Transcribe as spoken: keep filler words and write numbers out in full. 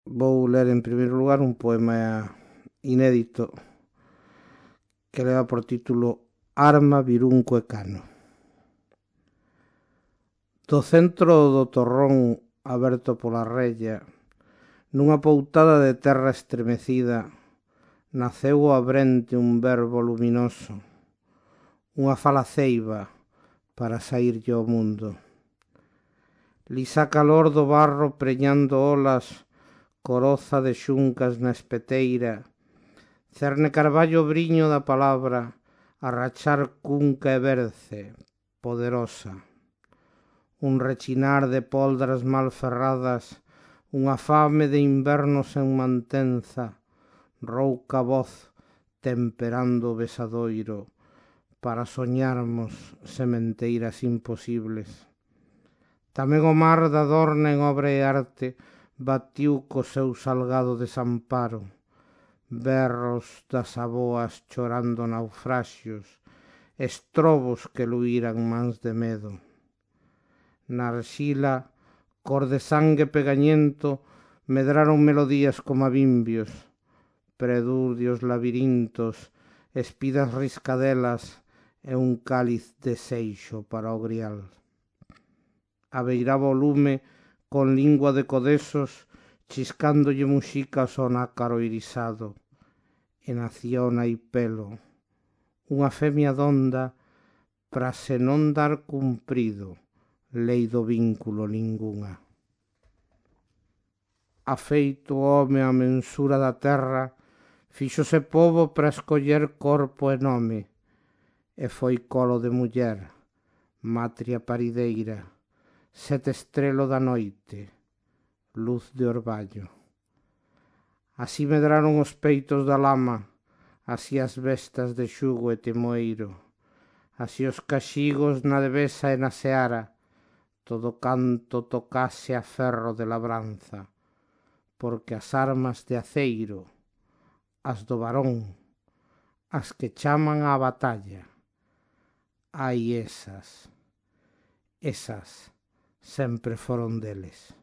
Vou ler en primeiro lugar un poema inédito que leva por título Arma, Virunco e Cano. Do centro do torrón aberto pola rella, nunha poutada de terra estremecida, naceu ao abrente un verbo luminoso, unha fala ceiba para saírlle ao mundo. Lisa calor do barro preñando olas, coroza de xuncas na espeteira, cerne carballo briño da palabra, a rachar cunca e berce, poderosa. Un rechinar de poldras mal ferradas, unha fame de inverno sen mantenza, rouca voz temperando o besadoiro, para soñarmos sementeiras imposibles. Tamén o mar da Dorna en obra e arte batiu co seu salgado desamparo, berros das aboas chorando naufraxios, estrobos que luíran mans de medo. Na arxila, cor de sangue pegañento, medraron melodías como abimbios, preludios labirintos, espidas riscadelas e un cáliz de seixo para o grial. Abeiraba o lume con lingua de codesos, chiscándolle muxicas ao nácaro irisado, e naciona e pelo, unha femia donda, pra se non dar cumprido, lei do vínculo ningunha. Afeito o home a mensura da terra, fíxose pobo pra escoller corpo e nome, e foi colo de muller, matria parideira, sete estrelo da noite, luz de orballo. Así medraron os peitos da lama, así as bestas de xugo e temoeiro, así os caxigos na devesa e na seara, todo canto tocase a ferro de labranza, porque as armas de aceiro, as do varón, as que chaman á batalla, ai esas, esas sempre foron deles.